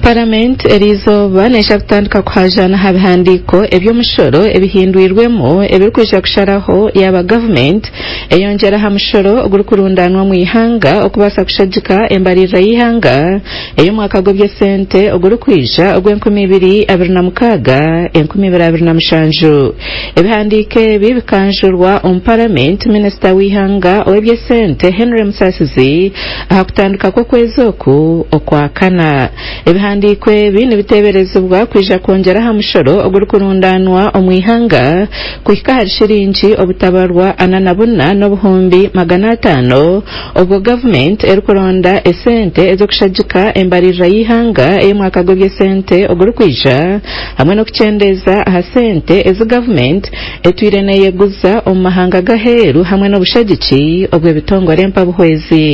Paramenti eriizooba neija kutandika kuhajaana aha bihandiiko eby'omushoro ebihindwirwemu ebirikwija kusharaho yaaba gavumenti eyongyera aha mushoro ogurikurundaanwa omu ihanga okubaasa kushagika embaririra y'eihanga ey'omwaka gw'eby'esente ogurikwija ogw'e2026, 2027. Ebihandiiko ebi bikanjurwa omu Paramenti minisita w'eihanga ow'eby'esente Henry Musasizi aha kutandika kw'okwezi oku Okwakana. Ebihandiiko ebi nibiteeberezibwa kwija kwongyera aha mushoro ogurikurundaanwa omu ihanga kuhika ahari shiringi obutabarwa 44 500 obwo gavumenti erikuronda esente ez'okushagika embaririra y'eihanga ey'omwaka gw'eby'esente ogurikwija hamwe n'okukyendeeza aha sente ezi gavumenti etwire neeyeguza omu mahanga g'aheeru hamwe n'obushagiki obw'ebitongore mpabuhwezi.